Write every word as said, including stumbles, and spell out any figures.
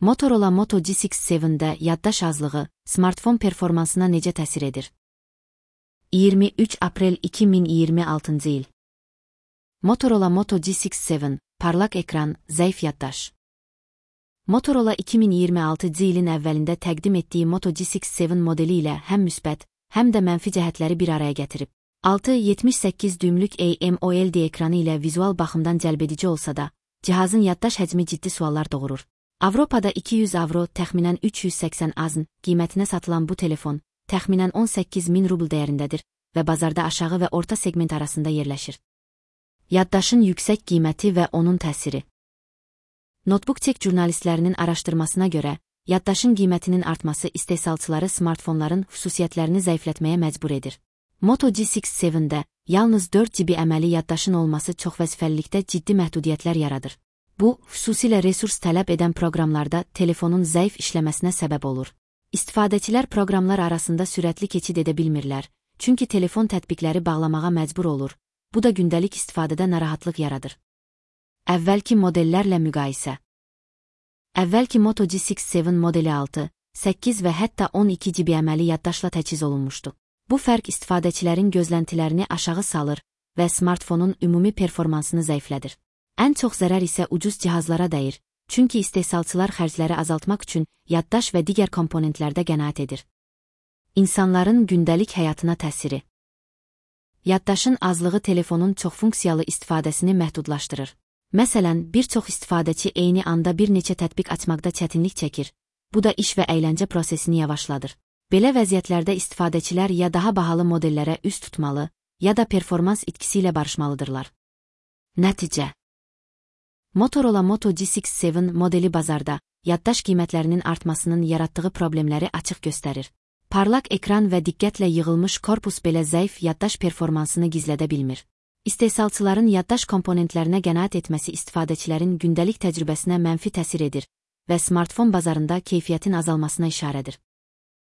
Motorola Moto G altı yeddə yaddaş azlığı smartfon performansına necə təsir edir? iyirmi üç aprel iki min iyirmi altıncı il. Motorola Moto G altı yeddi, parlaq ekran, zəif yaddaş. Motorola iki min iyirmi altıncı ilin əvvəlində təqdim etdiyi Moto G altı yeddi modeli ilə həm müsbət, həm də mənfi cəhətləri bir araya gətirib. altı yetmiş səkkiz düymlük AMOLED ekranı ilə vizual baxımdan cəlbedici olsa da, cihazın yaddaş həcmi ciddi suallar doğurur. Avropada iki yüz avro, təxminən üç yüz səksən azn qiymətinə satılan bu telefon, təxminən on səkkiz min rubl dəyərindədir və bazarda aşağı və orta segment arasında yerləşir. Yaddaşın yüksək qiyməti və onun təsiri. Notebook Tech jurnalistlərinin araşdırmasına görə, yaddaşın qiymətinin artması istehsalçıları smartfonların xüsusiyyətlərini zəiflətməyə məcbur edir. Moto G altı yeddidə yalnız dörd GB əməli yaddaşın olması çoxvəzifəlilikdə ciddi məhdudiyyətlər yaradır. Bu, xüsusilə resurs tələb edən proqramlarda telefonun zəif işləməsinə səbəb olur. İstifadəçilər proqramlar arasında sürətli keçid edə bilmirlər, çünki telefon tətbiqləri bağlamağa məcbur olur. Bu da gündəlik istifadədə narahatlıq yaradır. Əvvəlki modellərlə müqayisə. Əvvəlki Moto G altı yeddi modeli altı, səkkiz və hətta on iki GB əməli yaddaşla təchiz olunmuşdu. Bu fərq istifadəçilərin gözləntilərini aşağı salır və smartfonun ümumi performansını zəiflədir. Ən çox zərər isə ucuz cihazlara dəyir, çünki istehsalçılar xərcləri azaltmaq üçün yaddaş və digər komponentlərdə qənaət edir. İnsanların gündəlik həyatına təsiri. Yaddaşın azlığı telefonun çoxfunksiyalı istifadəsini məhdudlaşdırır. Məsələn, bir çox istifadəçi eyni anda bir neçə tətbiq açmaqda çətinlik çəkir, bu da iş və əyləncə prosesini yavaşladır. Belə vəziyyətlərdə istifadəçilər ya daha bahalı modellərə üz tutmalı, ya da performans itkisi ilə barışmalıdırlar. Nəticə. Motorola Moto G altı yeddi modeli bazarda, yaddaş qiymətlərinin artmasının yaratdığı problemləri açıq göstərir. Parlaq ekran və diqqətlə yığılmış korpus belə zəif yaddaş performansını gizlədə bilmir. İstehsalçıların yaddaş komponentlərinə qənaət etməsi istifadəçilərin gündəlik təcrübəsinə mənfi təsir edir və smartfon bazarında keyfiyyətin azalmasına işarədir.